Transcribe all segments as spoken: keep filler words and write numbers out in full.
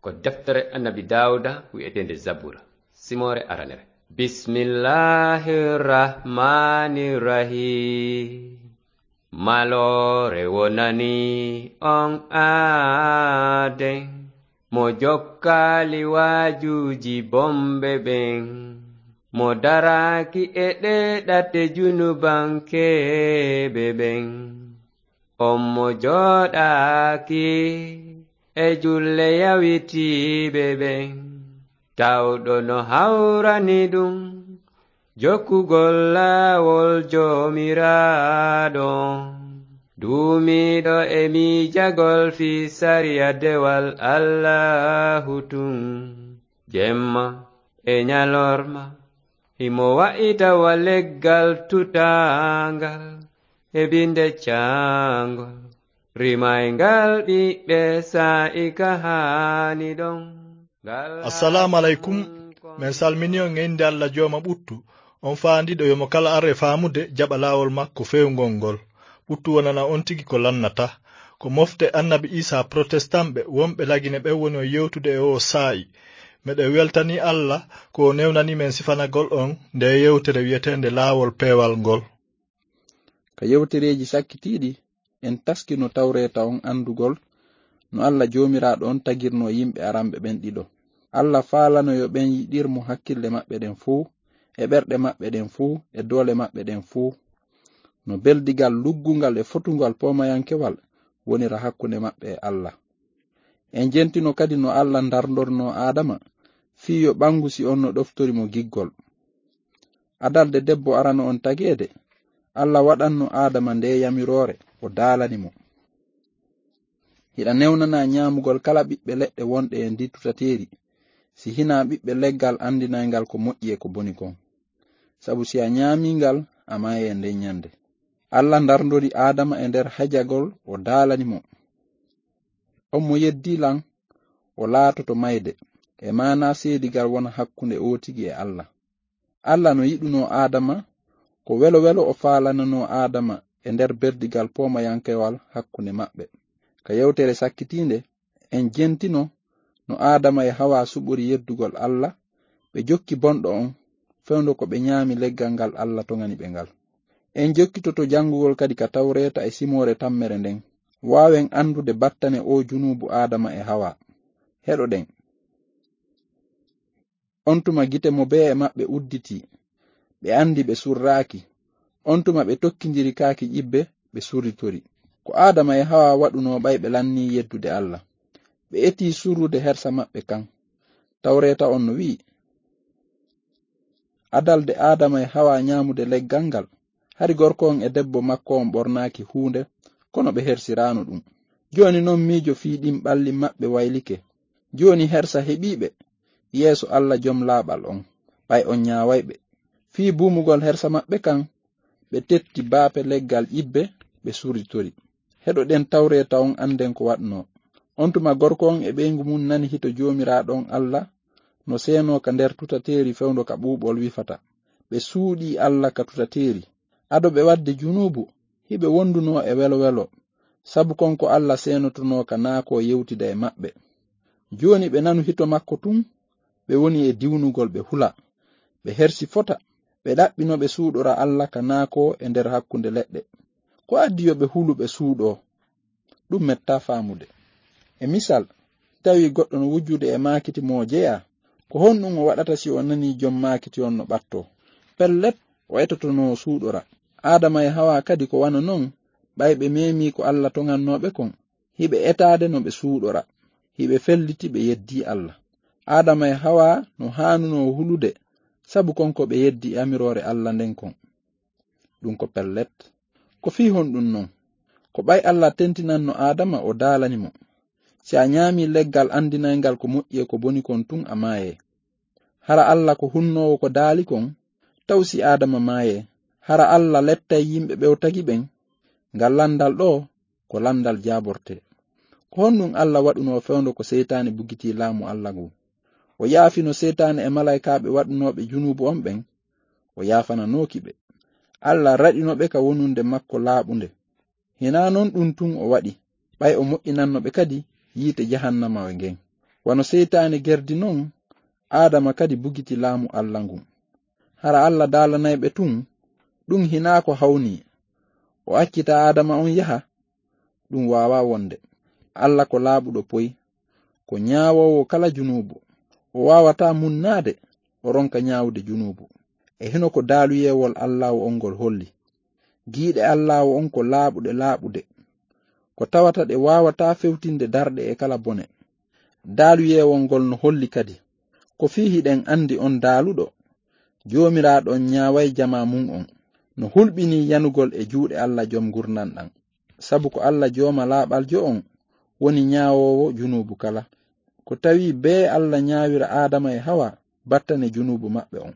Ko deftere Annabi Daawuda wi'eteende Zabura, simoore aranere. Bismillahir Rahmanir Rahim. Maloore wonani on aaden, mo jokkaali waajuuji bonɓe ɓen, mo daraaki e ɗee ɗate junubankeeɓe ɓen. On mo jooɗaaki e julle yawitiiɓe ɓen, tawɗo no hawrani ɗum jokkugol laawol Joomiraaɗo. Duumiiɗo e miijagol fii sariya dewal Allaahu tun, jemma e ñalorma, himo wa'ita wa leggal tutaangal e binde caangol, rimayngal ɓiɓɓe saa'i ka haani ɗon. Ngal Assalaamu aleykum. Men salmini on e innde Alla Jooma ɓuttu, on faandiiɗo yo mo kala ar e faamude jaɓa laawol makko feewngol ngol. Ɓuttu wonana on tigi ko lannata. Ko mofte Annabi Iisaa protestant ɓe wonɓe Lagine ɓen woni on yewtude e oo saa'i. Meɗen weltanii Alla ko o newnanii men sifanagol on ndee yewtere wi'eteende Laawol Peewal ngol. Ka yewtereeji sakkitiiɗi, en taskino Tawreeta on anndugol no Alla Joomiraaɗo on tagirnoo yimɓe aranɓe ɓen ɗiɗo. Alla faalano yo ɓen yiɗir mo hakkille maɓɓe ɗen fow, e ɓerɗe maɓɓe ɗen fow, e doole maɓɓe ɗen fow, no beldigal luggungal e fotungal poomayankewal wonira hakkunde maɓɓe e Alla. En jentino kadi no Alla ndarndornoo Aadama fii yo ɓanngu si on no ɗoftori mo giggol. Adalde debbo arano on tageede, Alla waɗanno Aadama ndee yamiroore, o daalani mo: Hiɗa newnanaa ñaamugol kala ɓiɓɓe leɗɗe wonɗe e ndii tutateeri, si hinaa ɓiɓɓe leggal anndinayngal ko moƴƴi e ko boni kon. Sabu si a ñaamii ngal, a maayay nden ñande. Alla ndarndori Aadama e nder hajagol, o daalani mo: On mo yeddii lan, o laatoto mayde, e maanaa seedigal wona hakkunde oo tigi e Alla. Alla no yiɗunoo Aadama, ko welo welo o faalananoo Aadama e nder berdigal poomayankewal hakkunde maɓɓe. Ka yewtere sakkitiinde, en jentino no Aadama e Hawaa suɓori yeddugol Alla, ɓe jokki bonɗo on, fewndo ko ɓe ñaami leggal ngal Alla toŋani ɓe ngal. En jokkitoto janngugol kadi ka Tawreeta e simoore tammere nden, waawen anndude battane oo junuubu Aadama e Hawaa. Heɗoɗen. On tuma gite mo bee e maɓɓe udditii, ɓe anndi ɓe surraaki. On tuma ɓe tokkindiri kaaki ƴibbe, ɓe surritori. Ko Aadama e Hawaa waɗunoo ɓay ɓe lannii yeddude Alla. Ɓe etii surrude hersa maɓɓe kan. Tawreeta on no wi'i: Adalde Aadama e Hawaa ñaamude leggal ngal, hari gorko on e debbo makko on ɓornaaki huunde, kono ɓe hersiraano ɗum. Jooni non miijo fii ɗin ɓalli maɓɓe waylike. Jooni hersa heɓii ɓe yeeso Alla Jom Laaɓal on, ɓay on ñaaway ɓe. Fii buumugol hersa maɓɓe kan, ɓe tetti baape leggal ƴibbe, ɓe surritori. Heɗoɗen Tawreeta on, annden ko waɗnoo. On tuma gorko on e ɓeyngu mun nani hito Joomiraaɗo on Alla no seenoo ka nder tutateeri fewndo ka ɓuuɓol wifata. Ɓe suuɗii Alla ka tutateeri. Ado ɓe waɗde junuubu, hiɓe wondunoo e welo welo, sabu kon ko Alla seenotonoo ka naakoo yewtida e maɓɓe. Jooni ɓe nanu hito makko tun, ɓe woni e diwnugol, ɓe hula. Ɓe hersi fota, ɓe ɗaɓɓi no ɓe suuɗora Alla ka naakoo e nder hakkunde leɗɗe. Ko addi yo ɓe hulu, ɓe suuɗoo? Ɗum mettaa faamude. E misal, tawi goɗɗo no wujjude e maakiti mo o jeyaa, ko honɗum o waɗata si o nanii jom maakiti on no ɓattoo? Pellet, o etotonoo o suuɗora. Aadama e Hawaa kadi ko wano non, ɓay ɓe meemii ko Alla toŋannoo ɓe kon, hiɓe etaade no ɓe suuɗora, hiɓe felliti ɓe yeddii Alla. Aadama e Hawaa no haanunoo hulude, sabu kon ko ɓe yeddii yamiroore Alla nden kon. Ɗum ko pellet. Ko fii honɗum non? Ko ɓay Alla tentinanno Aadama, o daalani mo: Si a ñaamii leggal anndinayngal ko moƴƴi e ko boni kon tun, a maayay. Hara Alla ko hunnoowo ko daali kon? Taw si Aadama maayee, hara Alla lettay yimɓe ɓe o tagi ɓen? Ngal lanndal ɗoo ko lanndal jaabortee. Ko honɗum Alla waɗunoo fewndo ko Seytaane bugitii laamu Alla ngun? O yaafino Seytaane e malaykaaɓe waɗunooɓe junuubu on ɓen, o yaafananooki ɓe. Alla raɗino ɓe ka wonunde makko laaɓunde. Hinaa non ɗum tun o waɗi, ɓay o moƴƴinanno ɓe kadi yiite jahannama ngen. Wano seytaane gerdi non, Aadama kadi bugiti laamu Alla ngun. Hara Alla daalanay ɓe tun, ɗun hinaa ko hawni. O accita Aadama on yaha, ɗun waawaa wonde. Alla ko laaɓuɗo poy, ko ñaawoowo kala junuubu. O waawataa munnaade, o ronka ñaawude junuubu. E hino ko daaluyeewol Allaahu on ngol holli. Giiɗe Allaahu on ko laaɓuɗe laaɓude. Ko tawata ɗe waawataa fewtinde darɗe e kala bone. Daaluyeewol ngol no holli kadi. Ko fii hiɗen andi on daaluɗo, Joomiraaɗo on ñaaway jamaa mun on. No hulɓinii yanugol e juuɗe Alla jom ngurndan ɗan. Sabu ko Alla jooma laaɓaljo on woni ñaawoowo junuubu kala. Ko tawi bee Alla ñaawira Aadama e Hawa battane junuubu maɓɓe on.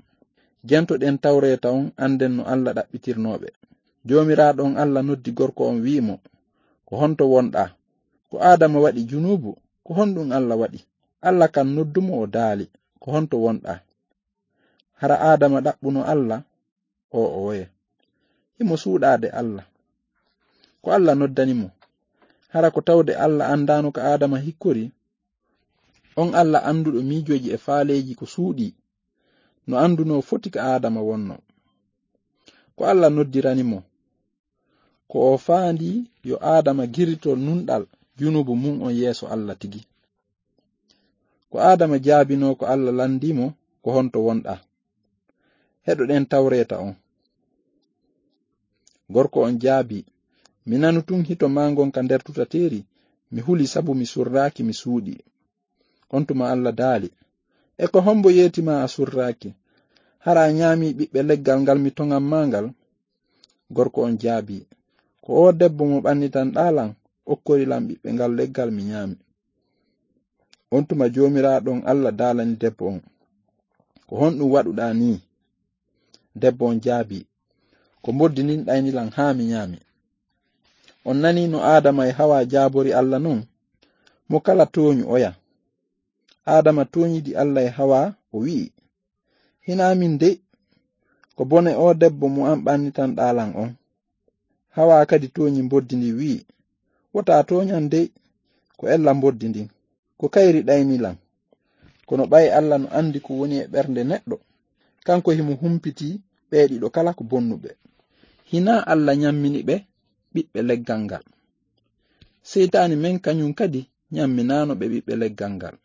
Jantoɗen Tawreeta on, anden no Alla ɗaɓɓitirnooɓe. Joomiraaɗo on Alla noddi gorko on, wi'i mo, "Ko honto wonɗaa?" "Ko Aadama waɗi junuubu, ko honɗun Alla waɗi?" Alla kan noddu mo, o daali, "Ko honto wonɗaa?" Hara Aadama ɗaɓɓuno Alla? O oye. Himo suuɗaade Alla. Ko Alla noddani mo. Hara ko tawde Alla andaano ka Aadama hikkori? On Alla anduɗo miijooji e faaleeji ko suuɗii, no andunoo foti ka Aadama wonnoo. Ko Alla noddirani mo, ko o faandii yo Aadama girito nunɗal junuubu mun on yeeso Alla tigi. Ko Aadama jaabinoo ko Alla landii mo, "Ko honto wonɗaa?" Heɗoɗen Tawreeta on. Gorko on jaabii, "Mi nanu tun hito maa ngon ka nder tutateeri, mi huli sabu mi surraaki, mi suuɗii." On tuma Alla daali, "E ko hombo yeeti ma a surraaki? Hara a ñaami ɓiɓɓe leggal ngal mi toŋan ma ngal?" Gorko on jaabii, "Ko o debbo mo ɓannitanɗaa lan, okkori lan ɓiɓɓe ngal leggal mi ñaami." On tuma Joomiraaɗo on Alla daalani debbo on, "Ko honɗun waɗuɗaa nii?" Debbo on jaabii, "Ko mboddi ndin ɗayni lan haa mi ñaami." On nanii no Aadama e Hawa jaabori Alla non? Mo kala tooñu oya. Aadama tooñidi Alla e Hawa, o wi'i, "Hinaa min dey, ko bone o debbo mo an ɓannitanɗaa lan on." Hawa kadi tooñi mboddi ndin, wi'i, "Wota tooñan dey, ko ella mboddi ndin, ko kayri ɗayni lan." Kono ɓay Alla no andi ko woni e ɓernde neɗɗo, kanko himo humpiti ɓee ɗiɗo kala ko bonnuɓe. Hinaa Alla ñammini ɓe ɓiɓɓe leggal ngal? Seytaane men kañun kadi ñamminaano ɓe ɓiɓɓe leggal ngal.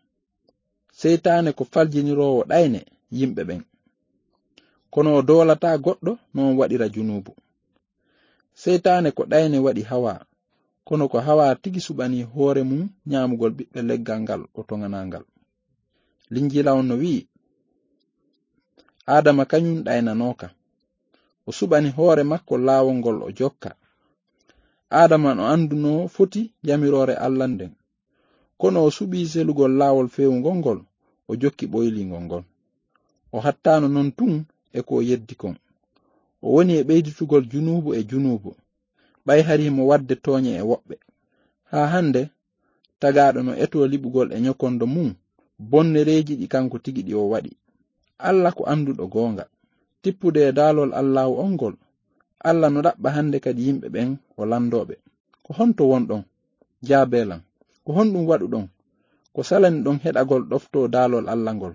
Seytaane ko faljiniroowo ɗayne yimɓe ɓen. Kono o doolataa goɗɗo no on waɗira junuubu. Seytaane ko ɗayne waɗi Hawa, kono ko Hawa tigi suɓanii hoore mun ñaamugol ɓiɓɓe leggal ngal o toŋanaa ngal. Linjiila on no wi'i, Aadama kañun ɗaynanooka. O suɓani hoore makko laawol ngol o jokka. Aadama no andunoo foti yamiroore Alla nden. Kono o suɓii selugol laawol feewungol ngol, o jokki ɓoylingol ngol. O hattaano non tun e ko o yeddi kon. O woni e ɓeyditugol junuubu e junuubu, ɓay hari himo waɗde tooñe e woɓɓe. Haa hande, tagaaɗo no etoo liɓugol e ñokondo mun bonnereeji ɗi kanko tigi ɗi o waɗi. Alla ko anduɗo goonga. Tippude e daalol Allaahu on ngol, Alla no ɗaɓɓa hande kadi yimɓe ɓen o landoo ɓe. Ko honto wonɗon? Jaabee lan. Ko honɗun waɗuɗon? Ko salani ɗon heɗagol ɗoftoo daalol Alla ngol?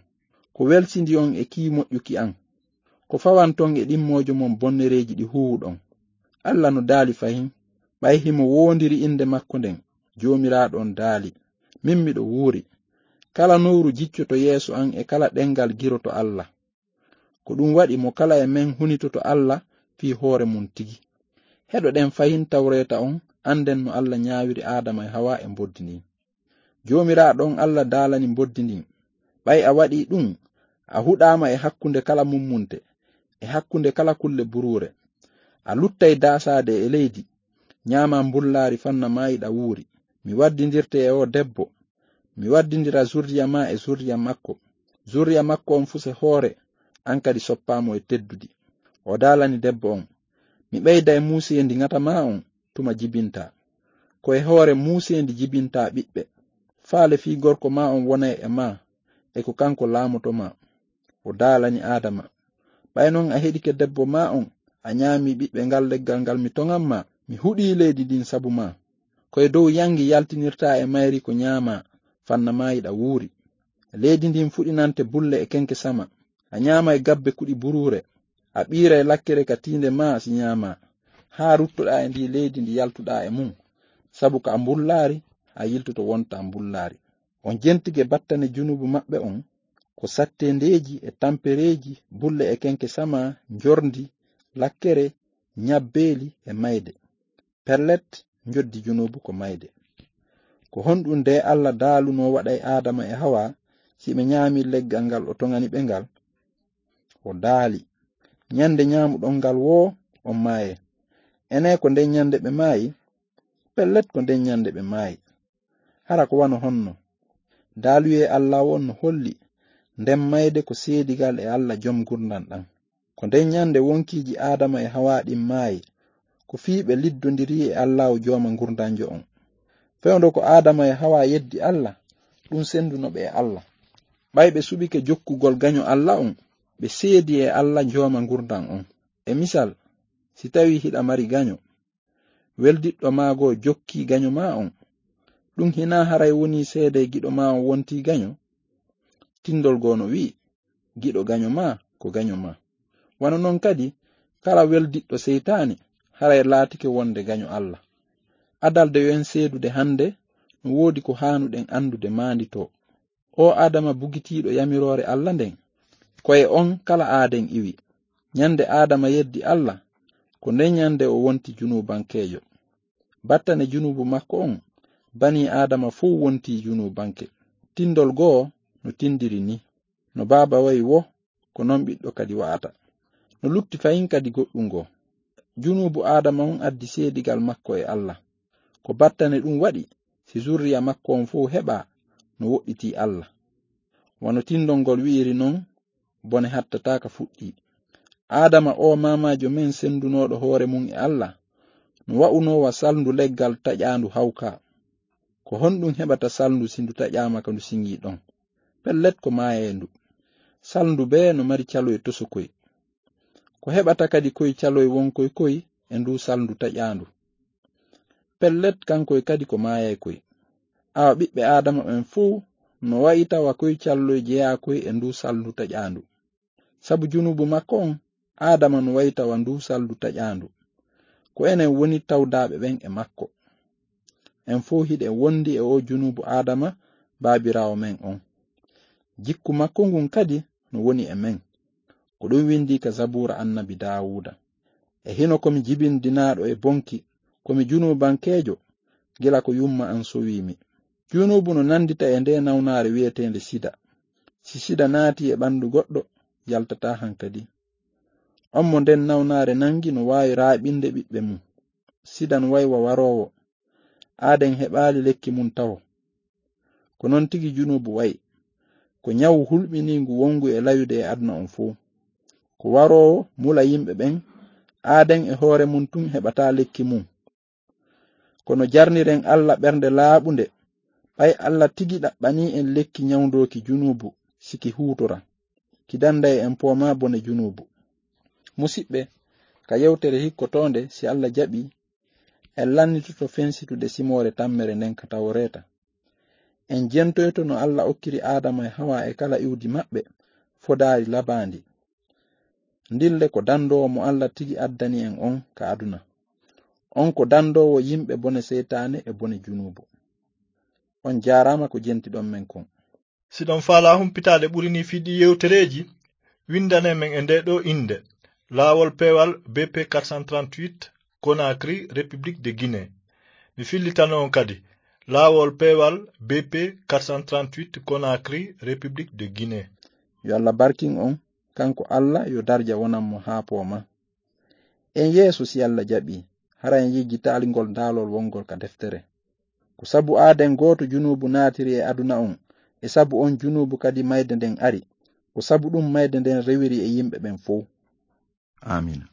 Ko welsindi on e kii moƴƴuki an? Ko fawanton e ɗimmoojo mon bonnereeji ɗi huuwuɗon? Alla no daali fahin, ɓay himo woondiri innde makko nden, Joomiraaɗo on daali, "Min miɗo wuuri. Kala nowru jiccoto yeeso an e kala ɗengal giroto Alla." Ko ɗun waɗi mo kala e men hunitoto Alla fii hoore mun tigi. Heɗoɗen fahin Tawreeta on, anden no Alla ñaawiri Aadama e Hawa e mboddi ndin. Joomiraaɗo on Alla daalani mboddi ndin, "Ɓay a waɗii ɗun, a huɗaama e hakkunde kala mummunte, e hakkunde kala kulle buruure. A luttay daasaade e leydi, ñaamaa mbullaari fanna maayiɗaa wuuri. Mi waddindirte e oo debbo, mi waddindira zurriya maa e zurriya makko. Zurriya makko on fuse hoore, an kadi soppaa mo e teddudi." O daalani debbo on, "Mi ɓeyday muuseendi ŋata maa on tuma jibintaa. Ko e hoore muuseendi jibintaa ɓiɓɓe. Faale fii gorko maa on wonay e maa, e ko kanko laamoto maa." O daalani Aadama, "Ɓay non a heɗike debbo maa on, a ñaami ɓiɓɓe ngal leggal ngal mi toŋan maa, mi huɗii leydi ndin sabu maa. Ko e dow yangi yaltinirtaa e mayri ko ñaamaa, fanna maayiɗaa wuuri." Leydi ndin fuɗinante bulle e kenke sama. A ñaamay gabbe kuɗi buruure. A ɓiiray lakkere ka tiinde maa si ñaamaa. Haa ruttoɗaa e ndii leydi ndi yaltuɗaa e mum. Sabu ko a mbullaari, a yiltoto wonta mbullaari. On jentige battane junuubu maɓɓe on, ko satteendeeji e tampereeji, bulle e kenke sama, njorndi, lakkere, ñabbeeli e mayde. Pellet, njoddi junuubu ko mayde. Ko honɗum de Alla daalunoo waɗay Aadama e Hawa, si ɓe ñaami leggal ngal o toŋani ɓe ngal? O daali, ñande ñaamuɗon ngal woo, on maaye. Enee, ko nden ñande ɓe maayi? Pellet, ko nden ñande ɓe maayi. Hara ko wano honno? Daaluyee Alla on no holli, nden mayde ko seedigal e Alla jom ngurndan ɗan. Ko nden ñande wonkiiji Aadama e Hawa ɗin maayi, ko fii ɓe liddondiri e Alla o jooma ngurndanjo on. Fewndo ko Aadama e Hawa yeddi Alla, ɗum senduno ɓe e Alla. Ɓay ɓe suɓike jokkugol gaño Alla on, ɓe seedi e Alla jooma ngurndan on. E misal, si tawi hiɗa mari gaño, weldiɗɗo maa goo jokkii gaño maa on, ɗum hinaa haray wonii seedee giɗo maa on wontii gaño? Tindol goo no wi'i, giɗo gaño maa ko gaño maa. Wano non kadi, kala weldiɗɗo seytaane, haray laatike wonde gaño Alla. Adalde yo en seedude hande, no woodi ko haanuɗen andude maanditoo. O Aadama bugitiiɗo yamiroore Alla nden, ko e on kala aaden iwi. Ñande Aadama yeddi Alla, ko nden ñande o wonti junuubankeejo. Battane junuubu makko on, banii Aadama fow wontii junuubanke. Tindol goo no tindiri ni, no baaba wa'i woo, ko non ɓiɗɗo kadi wa'ata. No lutti fahin kadi goɗɗum goo. Junuubu Aadama on addi seedigal makko e Alla. Ko battane ɗum waɗi, si zurriya makko on fow heɓa, no woɗɗitii Alla. Wano tindol ngol wi'iri non, bone hattataa ka fuɗɗii. Aadama o maamaajo men sendunooɗo hoore mum e Alla, no wa'unoo wa salndu leggal taƴaandu hawka. Ko honɗum heɓata salndu si ndu taƴaama ka ndu siŋii ɗon? Pellet, ko maayeendu. Salndu bee no mari caloy tosokoy. Ko heɓata kadi koy caloy wonkoy koy e ndu salndu taƴaandu. Pellet, kankoy kadi ko maayay koy. Awa ɓiɓɓe Aadama ɓen fow no wa'ita wa koy calloy jeyaa koy e ndu salndu taƴaandu. Sabu junuubu makko on, Aadama no wa'ita wa ndu salndu taƴaandu. Ko enen woni tawdaaɓe ɓen e makko. En fow hiɗen wondi e o junuubu Aadama, baabiraawo men on. Jikku makko ngun kadi no woni e men. Ko ɗum windii ka Zabuura annabi Daawuuda. E hino ko mi jibindinaaɗo e bonki, ko mi junuubankeejo, gila ko yumma an sowii mi. Junuubu no nandita e nde nawnaare wi'eteende sida. Si sida naati e ɓandu goɗɗo, yaltataa hankadi. On mo nden nawnaare nangi no waawi raaɓinde ɓiɓɓe mum. Sida no wa'i wa waroowo. Aaden heɓaali lekki mum tawo. Ko non tigi junuubu wa'i. Ko ñawu hulɓiniingu wongu e layude e aduna on fow. Ko waroowo mula yimɓe ɓen, aaden e hoore mum tun heɓataa lekki mum. Kono jarniren Alla ɓernde laaɓunde, ɓay Alla tigi ɗaɓɓanii en lekki ñawndooki junuubu, si ki huutora. Ki danday en poomaa bone junuubu. Musiɓɓe, ka yewtere hikkotoonde, si Alla jaɓii, en lannitoto fensitude simoore tammere nden ka Tawreeta. En jentoyto no Alla okkiri Aadama e Hawa e kala iwdi maɓɓe fodaari labaandi. Ndille ko dandoowo mo Alla tigi addani en on ka aduna. On ko dandoowo yimɓe bone seytaane e bone junuubu. On jaaraama ko jentiɗon men kon. Si ɗon faalaa humpitaade ɓuri nii fii ɗii yewtereeji, winndane men e ndee ɗoo innde, Laawol Peewal B P quatre cent trente-huit, Conakry, République de Guinée. Mi fillitano on kadi, Laawol Peewal B P quatre cent trente-huit, Conakry, République de Guinée. Yo Alla barkin on, kanko Alla yo darja wonan mo haa poomaa. En yeeso si Alla jaɓii, hara en yejjitaali ngol daalol wongol ka deftere. Ko sabu aaden gooto junuubu naatiri e aduna on, e sabu on junuubu kadi mayde nden ari. Ko sabu ɗum mayde nden rewiri e yimɓe ɓen fow. Aamiin.